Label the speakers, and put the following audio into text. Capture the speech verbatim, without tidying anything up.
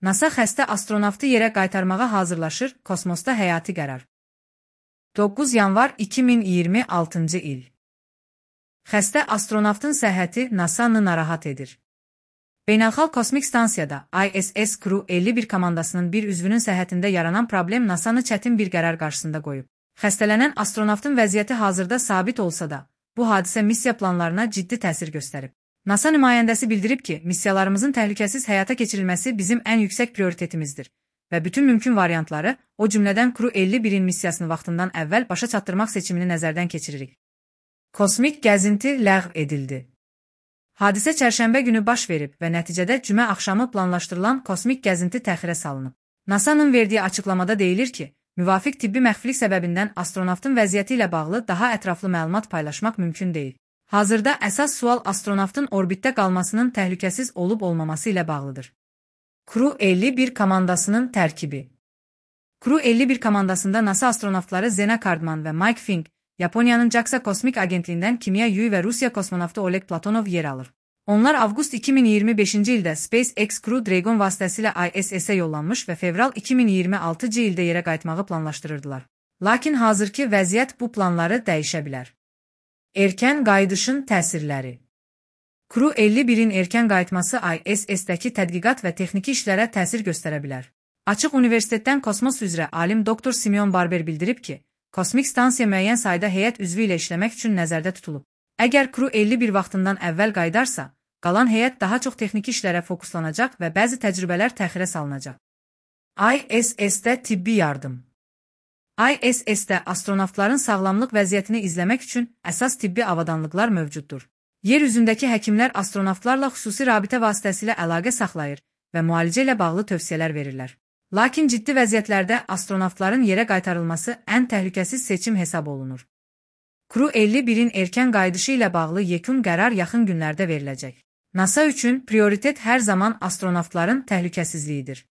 Speaker 1: NASA xəstə astronavtı yerə qaytarmağa hazırlaşır, kosmosda həyati qərar. doqquz yanvar iki min iyirmi altıncı il. Xəstə astronavtın səhhəti NASA'nı narahat edir. Beynəlxalq Kosmik Stansiyada I S S Crew əlli bir komandasının bir üzvünün səhhətində yaranan problem NASA'nı çətin bir qərar qarşısında qoyub. Xəstələnən astronavtın vəziyyəti hazırda sabit olsa da, bu hadisə missiya planlarına ciddi təsir göstərib. NASA nümayəndəsi bildirib ki, missiyalarımızın təhlükəsiz həyata keçirilməsi bizim ən yüksək prioritetimizdir və bütün mümkün variantları, o cümlədən Crew əlli birin missiyasını vaxtından əvvəl başa çatdırmaq seçimini nəzərdən keçiririk. Kosmik gəzinti ləğv edildi. Hadisə çərşənbə günü baş verib və nəticədə cümə axşamı planlaşdırılan kosmik gəzinti təxirə salınıb. NASA'nın verdiyi açıqlamada deyilir ki, müvafiq tibbi məxfilik səbəbindən astronavtın vəziyyəti ilə bağlı daha ətraflı məlumat paylaşmaq mümkün deyil. Hazırda əsas sual astronavtın orbitdə qalmasının təhlükəsiz olub-olmaması ilə bağlıdır. Crew əlli bir komandasının tərkibi. Crew əlli bir komandasında NASA astronavtları Zena Cardman və Mike Fink, Yaponiyanın JAXA Kosmik Agentliyindən Kimya Yui və Rusiya kosmonavtı Oleg Platonov yer alır. Onlar avqust iki min iyirmi beşinci ildə SpaceX Crew Dragon vasitəsilə I S S-ə yollanmış və fevral iki min iyirmi altıncı ildə yerə qayıtmağı planlaşdırırdılar. Lakin hazırki vəziyyət bu planları dəyişə bilər. Erkən qayıdışın təsirləri. Crew əlli birin erkən qayıtması I S S-dəki tədqiqat və texniki işlərə təsir göstərə bilər. Açıq Universitetdən kosmos üzrə alim doktor Simeon Barber bildirib ki, kosmik stansiya müəyyən sayda heyət üzvü ilə işləmək üçün nəzərdə tutulub. Əgər Crew əlli bir vaxtından əvvəl qayıdarsa, qalan heyət daha çox texniki işlərə fokuslanacaq və bəzi təcrübələr təxirə salınacaq. I S S-də tibbi yardım. I S S-də astronavtların sağlamlıq vəziyyətini izləmək üçün əsas tibbi avadanlıqlar mövcuddur. Yer üzündəki həkimlər astronavtlarla xüsusi rabitə vasitəsilə əlaqə saxlayır və müalicə ilə bağlı tövsiyələr verirlər. Lakin ciddi vəziyyətlərdə astronavtların yerə qaytarılması ən təhlükəsiz seçim hesab olunur. Crew əlli birin erkən qayıdışı ilə bağlı yekun qərar yaxın günlərdə veriləcək. NASA üçün prioritet hər zaman astronavtların təhlükəsizliyidir.